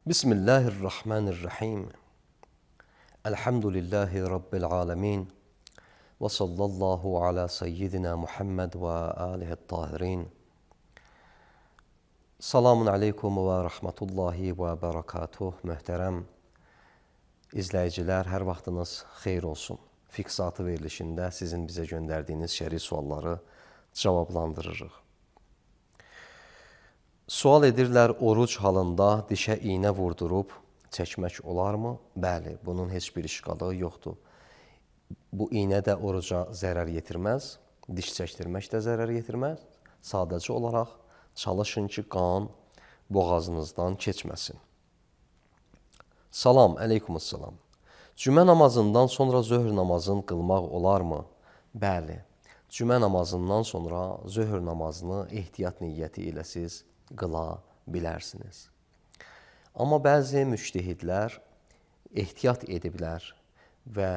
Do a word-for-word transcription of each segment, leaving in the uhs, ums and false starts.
Bismillahirrahmanirrahim. Elhamdülillahi Rabbil alemin. Ve sallallahu ala seyyidina Muhammed ve alihi tahirin. Selamun aleykum ve rahmetullahi ve berekatuh. Möhtərəm izləyicilər, hər vaxtınız xeyir olsun. Fiksatı verilişində sizin bizə göndərdiyiniz şəri sualları cavablandırırıq. Sual edirlər, oruc halında dişə iynə vurdurub çəkmək olarmı? Bəli, bunun heç bir işqalı yoxdur. Bu iynə də oruca zərər yetirməz, diş çəkdirmək də zərər yetirməz. Sadəcə olaraq çalışın ki, qan boğazınızdan keçməsin. Salam, əleykumussalam. Cümə namazından sonra zöhr namazını qılmaq olarmı? Bəli, cümə namazından sonra zöhr namazını ehtiyat niyyəti ilə siz qıla bilərsiniz. Amma bəzi müctəhidlər ehtiyat ediblər və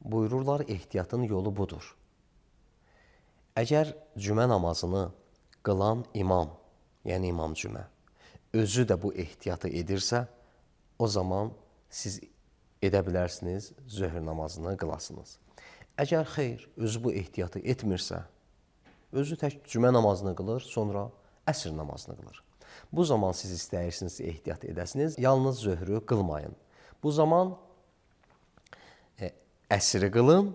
buyururlar, ehtiyatın yolu budur. Əgər cümə namazını qılan imam, yəni imam cümə, özü də bu ehtiyatı edirsə, o zaman siz edə bilərsiniz, zöhr namazını qılasınız. Əgər xeyr, özü bu ehtiyatı etmirsə, özü tək cümə namazını qılır, sonra əsr namazını qılır. Bu zaman siz istəyirsiniz, ehtiyat edəsiniz, yalnız zöhrü qılmayın. Bu zaman e, əsri qılın,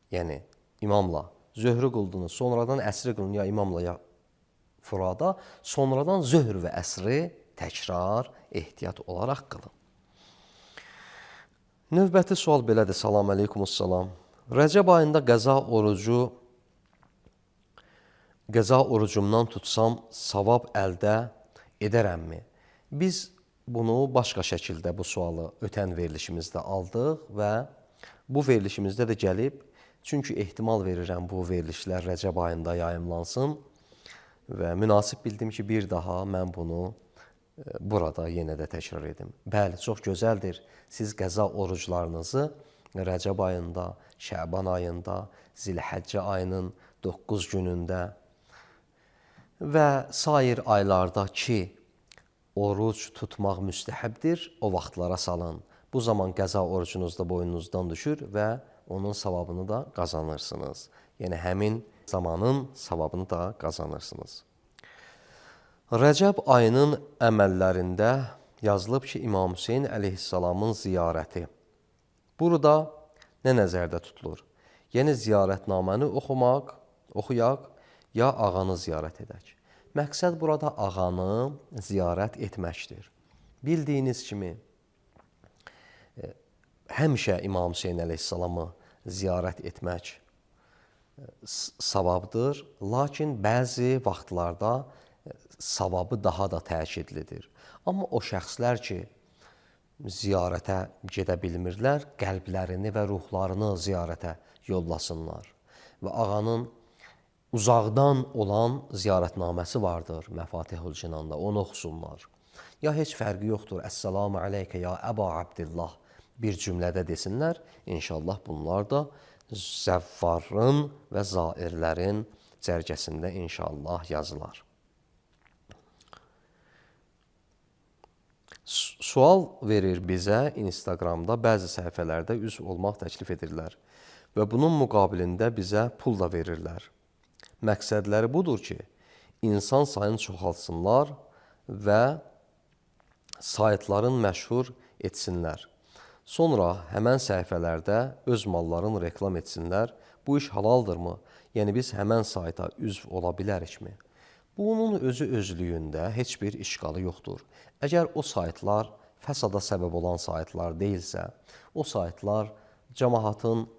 yəni imamla zöhrü qıldınız, sonradan əsri qılın ya imamla ya furada, sonradan zöhr və əsri təkrar ehtiyat olaraq qılın. Növbəti sual belədir. Salam əleykumussalam. Rəcəb ayında qəza orucu Qəza orucumdan tutsam, savab əldə edərəmmi? Biz bunu başqa şəkildə bu sualı ötən verilişimizdə aldıq və bu verilişimizdə də gəlib, çünki ehtimal verirəm bu verilişlər Rəcəb ayında yayımlansın və münasib bildim ki, bir daha mən bunu burada yenə də təkrar edim. Bəli, çox gözəldir. Siz qəza oruclarınızı Rəcəb ayında, Şəban ayında, Zilhəccə ayının doqquz günündə və sair aylarda ki, oruc tutmaq müstəhəbdir, o vaxtlara salın. Bu zaman qəza orucunuz da boynunuzdan düşür və onun savabını da qazanırsınız. Yəni, həmin zamanın savabını da qazanırsınız. Rəcəb ayının əməllərində yazılıb ki, İmam Hüseyin əleyhissalamın ziyarəti. Burada nə nəzərdə tutulur? Yəni, ziyarətnaməni oxumaq, oxuyaq, ya ağanı ziyarət edək. Məqsəd burada ağanı ziyarət etməkdir. Bildiyiniz kimi, həmişə İmam Hüseyin əleyhissalamı ziyarət etmək savabdır, lakin bəzi vaxtlarda savabı daha da təkidlidir. Amma o şəxslər ki, ziyarətə gedə bilmirlər, qəlblərini və ruhlarını ziyarətə yollasınlar və ağanın uzaqdan olan ziyarətnaməsi vardır Məfatihül Cinanda, onu oxusunlar. Ya heç fərqi yoxdur, Əssəlamu aleykə ya Əba Abdillah bir cümlədə desinlər, İnşallah bunlar da zəvvarın və zairlərin cərgəsində inşallah yazılar. Sual verir bizə Instagramda, bəzi səhifələrdə üzv olmaq təklif edirlər və bunun müqabilində bizə pul da verirlər. Məqsədləri budur ki, insan sayını çoxalsınlar və saytların məşhur etsinlər. Sonra həmən səhifələrdə öz mallarını reklam etsinlər. Bu iş halaldırmı? Yəni, biz həmən sayta üzv ola bilərikmi? Bunun özü özlüyündə heç bir işqalı yoxdur. Əgər o saytlar fəsada səbəb olan saytlar deyilsə, o saytlar cəmaatın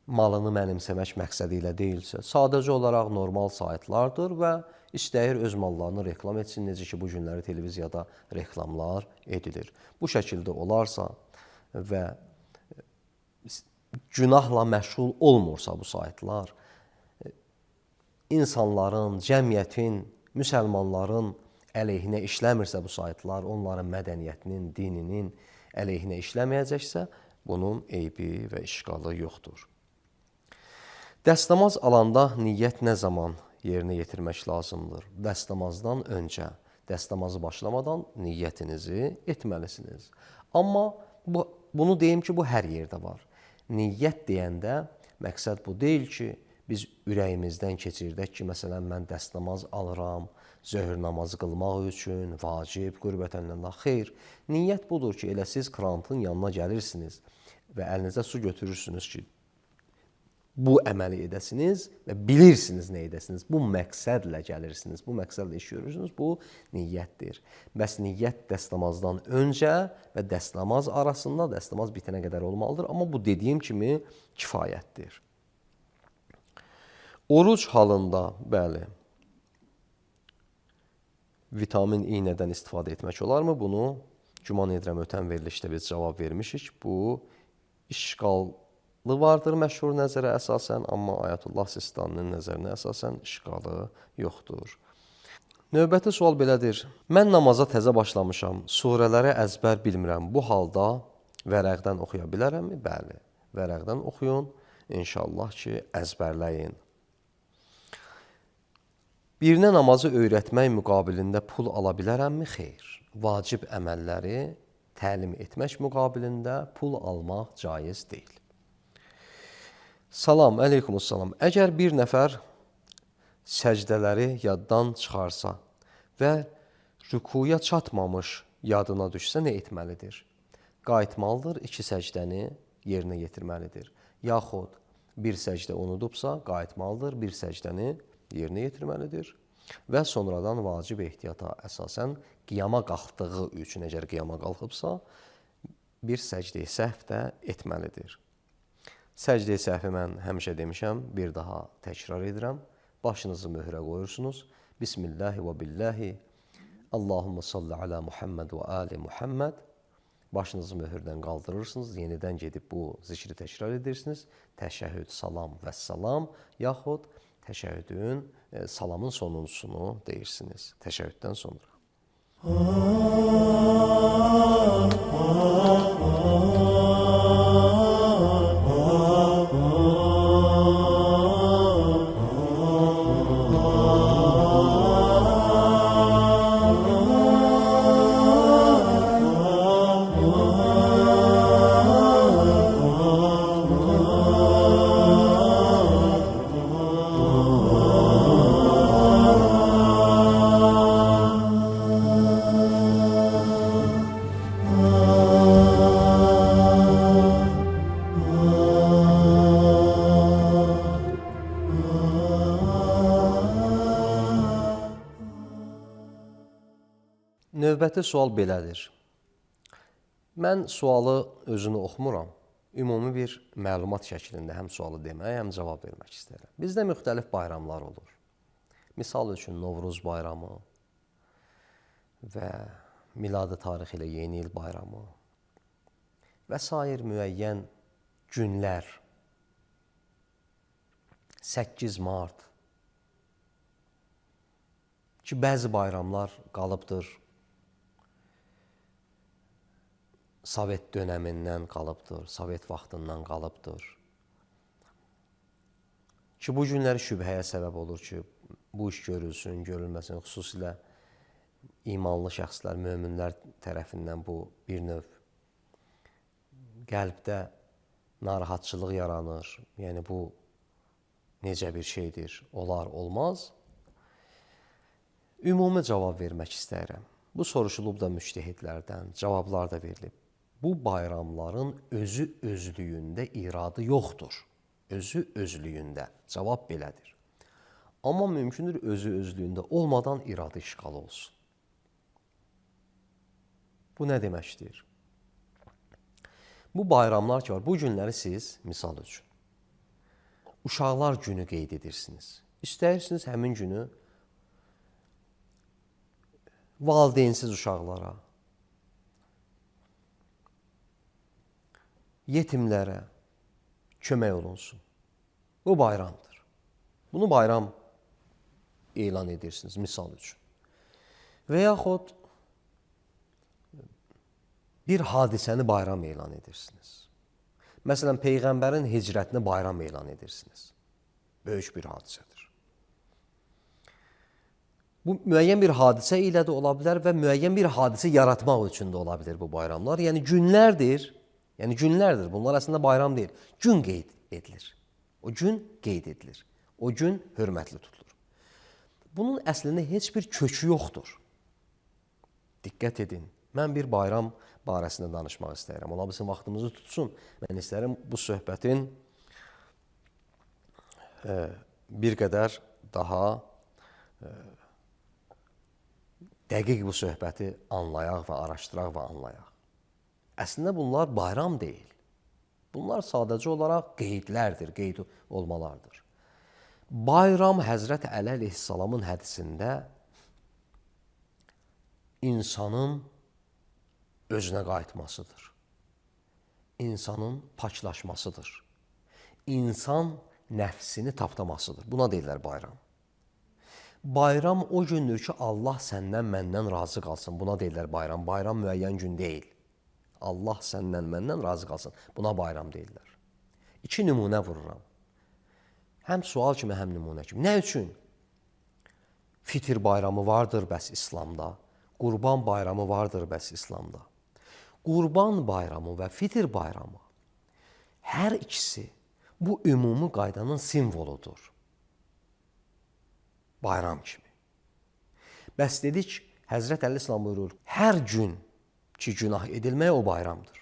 malını mənimsəmək məqsədi ilə deyilsə, sadəcə olaraq normal saytlardır və istəyir öz mallarını reklam etsin, necə ki, bu günləri televiziyada reklamlar edilir. Bu şəkildə olarsa və günahla məşğul olmursa bu saytlar, insanların, cəmiyyətin, müsəlmanların əleyhinə işləmirsə bu saytlar, onların mədəniyyətinin, dininin əleyhinə işləməyəcəksə, bunun eybi və işqalı yoxdur. Dəstəmaz alanda niyyət nə zaman yerinə yetirmək lazımdır? Dəstəmazdan öncə. Dəstəmazı başlamadan niyyətinizi etməlisiniz. Amma bu, bunu deyim ki, bu hər yerdə var. Niyyət deyəndə məqsəd bu deyil ki, biz ürəyimizdən keçirdək ki, məsələn, mən dəstəmaz alıram, zöhr namazı qılmaq üçün, vacib, qürbətənillah. Xeyr, niyyət budur ki, elə siz krantın yanına gəlirsiniz və əlinizə su götürürsünüz ki, bu əməli edəsiniz və bilirsiniz nə edəsiniz. Bu məqsədlə gəlirsiniz, bu məqsədlə iş görürsünüz, bu niyyətdir. Bəs niyyət dəstəmazdan öncə və dəstəmaz arasında, dəstəmaz bitənə qədər olmalıdır, amma bu dediyim kimi kifayətdir. Oruc halında, bəli, vitamin iynədən istifadə etmək olarmı? Bunu güman edirəm ötən verilişdə biz cavab vermişik. Bu işqallı vardır məşhur nəzərə əsasən, amma Ayətullah Sistaninin nəzərinə əsasən işqalı yoxdur. Növbəti sual belədir. Mən namaza təzə başlamışam, surələri əzbər bilmirəm. Bu halda vərəqdən oxuya bilərəmmi? Bəli, vərəqdən oxuyun. İnşallah ki, əzbərləyin. Birinə namazı öyrətmək müqabilində pul ala bilərəmmi? Xeyr. Vacib əməlləri təlim etmək müqabilində pul almaq caiz deyil. Salam, əleykumussalam. Əgər bir nəfər səcdələri yaddan çıxarsa və rükuya çatmamış yadına düşsə nə etməlidir? Qayıtmalıdır, iki səcdəni yerinə yetirməlidir. Yaxud bir səcdə unudubsa, qayıtmalıdır, bir səcdəni yerinə yetirməlidir və sonradan vacib ehtiyata əsasən qiyama qalxdığı üçün, əgər qiyama qalxıbsa, bir səcdə-i səhv də etməlidir. Səcdə-i səhvi mən həmişə demişəm, bir daha təkrar edirəm. Başınızı möhrə qoyursunuz. Bismillahi və billahi. Allahumma salli ala Muhammed və ali Muhammed. Başınızı möhürdən qaldırırsınız. Yenidən gedib bu zikri təkrar edirsiniz. Təşəhhüd, salam və salam, yaxud təşəhhüdün, e, salamın sonuncusunu deyirsiniz. Təşəhhüddən sonra. Növbəti sual belədir. Mən sualı özünü oxumuram. Ümumi bir məlumat şəklində həm sualı demək, həm cavab vermək istəyirəm. Bizdə müxtəlif bayramlar olur. Misal üçün Novruz bayramı və miladi tarix ilə yeni il bayramı və sair müəyyən günlər, səkkiz mart ki, bəzi bayramlar qalıbdır, Sovet dönəmindən qalıbdır, Sovet vaxtından qalıbdır. Ki, bu günlər şübhəyə səbəb olur ki, bu iş görülsün, görülməsin, xüsusilə imanlı şəxslər, möminlər tərəfindən bu bir növ qəlbdə narahatçılıq yaranır. Yəni, bu necə bir şeydir, olar, olmaz. Ümumi cavab vermək istəyirəm. Bu soruşulub da müctəhidlərdən, cavablar da verilib. Bu bayramların özü özlüyündə iradı yoxdur. Özü özlüyündə. Cavab belədir. Amma mümkündür özü özlüyündə olmadan iradı işğal olsun. Bu nə deməkdir? Bu bayramlar ki var, bu günləri siz, misal üçün, uşaqlar günü qeyd edirsiniz. İstəyirsiniz həmin günü valideynsiz uşaqlara, yetimlərə kömək olunsun. Bu bayramdır. Bunu bayram elan edirsiniz, misal üçün. Və yaxud bir hadisəni bayram elan edirsiniz. Məsələn, Peyğəmbərin hicrətini bayram elan edirsiniz. Böyük bir hadisədir. Bu müəyyən bir hadisə ilə də ola bilər və müəyyən bir hadisə yaratmaq üçün də ola bilər bu bayramlar. Yəni günlərdir, yəni günlərdir. Bunlar əslində bayram deyil. Gün qeyd edilir. O gün qeyd edilir. O gün hörmətli tutulur. Bunun əslində heç bir kökü yoxdur. Diqqət edin. Mən bir bayram barəsində danışmaq istəyirəm. Ola bilsin vaxtımızı tutsun. Mən istəyirəm bu söhbətin e, bir qədər daha e, dəqiq bu söhbəti anlayaq və araşdıraq və anlayaq. Əslində bunlar bayram deyil. Bunlar sadəcə olaraq qeydlərdir, qeyd olmalardır. Bayram Həzrət Əli əleyhissalamın hədisində insanın özünə qayıtmasıdır. İnsanın paklaşmasıdır. İnsan nəfsini tapdamasıdır. Buna deyirlər bayram. Bayram o gündür ki, Allah səndən, məndən razı qalsın. Buna deyirlər bayram. Bayram müəyyən gün deyil. Allah səndən, məndən razı qalsın. Buna bayram deyirlər. İki nümunə vururam. Həm sual kimi, həm nümunə kimi. Nə üçün? Fitir bayramı vardır bəs İslamda. Qurban bayramı vardır bəs İslamda. Qurban bayramı və fitir bayramı hər ikisi bu ümumi qaydanın simvoludur. Bayram kimi. Bəs dedik, Həzrət Əli İslam buyurur, hər gün ki günah edilmək o bayramdır.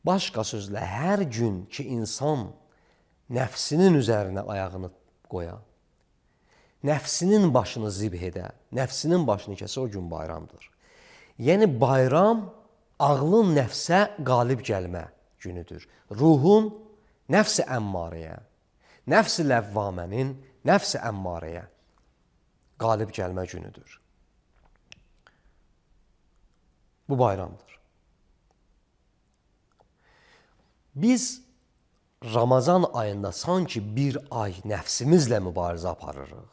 Başqa sözlə, hər gün ki insan nəfsinin üzərinə ayağını qoya, nəfsinin başını zibh edə, nəfsinin başını kəsə o gün bayramdır. Yəni bayram ağlın nəfsə qalib gəlmə günüdür. Ruhun nəfs-i əmmarəyə, nəfs-i ləvvamənin nəfs-i əmmarəyə qalib gəlmə günüdür. Bu bayramdır. Biz Ramazan ayında sanki bir ay nəfsimizlə mübarizə aparırıq.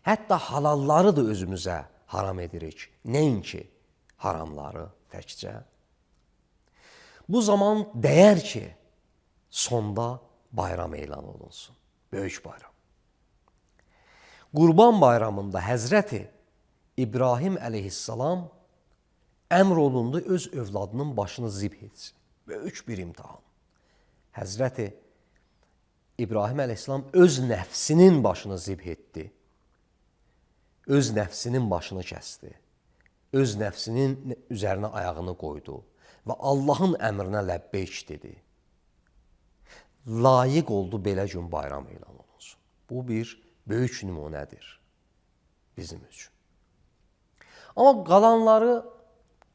Hətta halalları da özümüzə haram edirik. Nəinki haramları təkcə. Bu zaman dəyər ki, sonda bayram elan olunsun. Böyük bayram. Qurban bayramında Həzrəti İbrahim əleyhissalam əmr olundu öz övladının başını zibh etsin. Böyük bir imtihan. Həzrəti İbrahim əleyhissalam öz nəfsinin başını zibh etdi. Öz nəfsinin başını kəsdi. Öz nəfsinin üzərinə ayağını qoydu və Allahın əmrinə ləbbeyk dedi. Layiq oldu belə gün bayram elan olunsun. Bu bir böyük nümunədir bizim üçün. Amma qalanları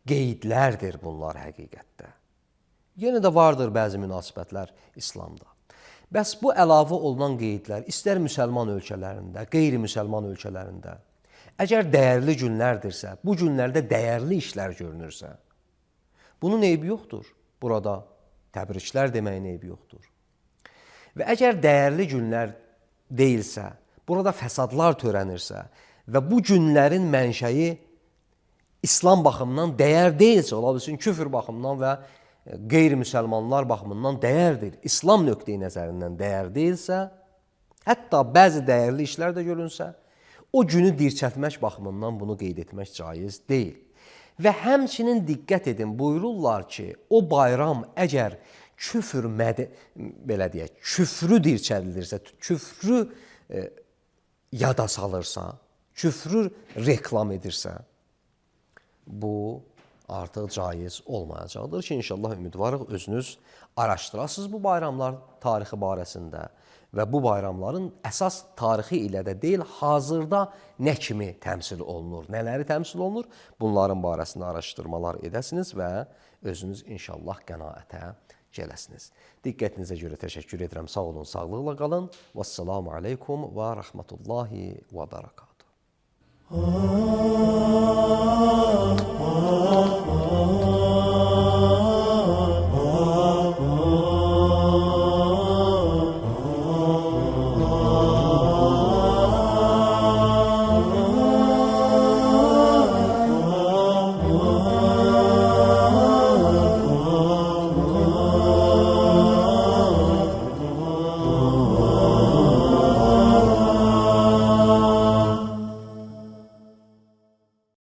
qeydlərdir bunlar həqiqətdə. Yenə də vardır bəzi münasibətlər İslamda. Bəs bu əlavə olunan qeydlər istər müsəlman ölkələrində, qeyri-müsəlman ölkələrində, əgər dəyərli günlərdirsə, bu günlərdə dəyərli işlər görünürsə, bunun eybi yoxdur. Burada təbriklər deməyin eybi yoxdur. Və əgər dəyərli günlər deyilsə, burada fəsadlar törənirsə və bu günlərin mənşəyi İslam baxımından dəyər deyilsə, ola bilsin küfr baxımından və qeyri-müsəlmanlar baxımından dəyərdir, İslam nöqteyi nəzərindən dəyər deyilsə, hətta bəzi dəyərli işlər də görünsə, o günü dirçətmək baxımından bunu qeyd etmək caiz deyil. Və həmçinin diqqət edin, buyururlar ki, o bayram əgər küfr, mədə, belə deyək, küfrü dirçədilirsə, küfrü e, yada salırsa, küfrü reklam edirsə, bu artıq caiz olmayacaqdır ki, inşallah ümidvarıq özünüz araşdırasınız bu bayramlar tarixi barəsində və bu bayramların əsas tarixi ilə də deyil, hazırda nə kimi təmsil olunur, nələri təmsil olunur, bunların barəsində araşdırmalar edəsiniz və özünüz inşallah qənaətə gələsiniz. Diqqətinizə görə təşəkkür edirəm. Sağ olun, sağlıqla qalın. Vəssalamu aleykum və rəhmətullahi və bərəkatuhu.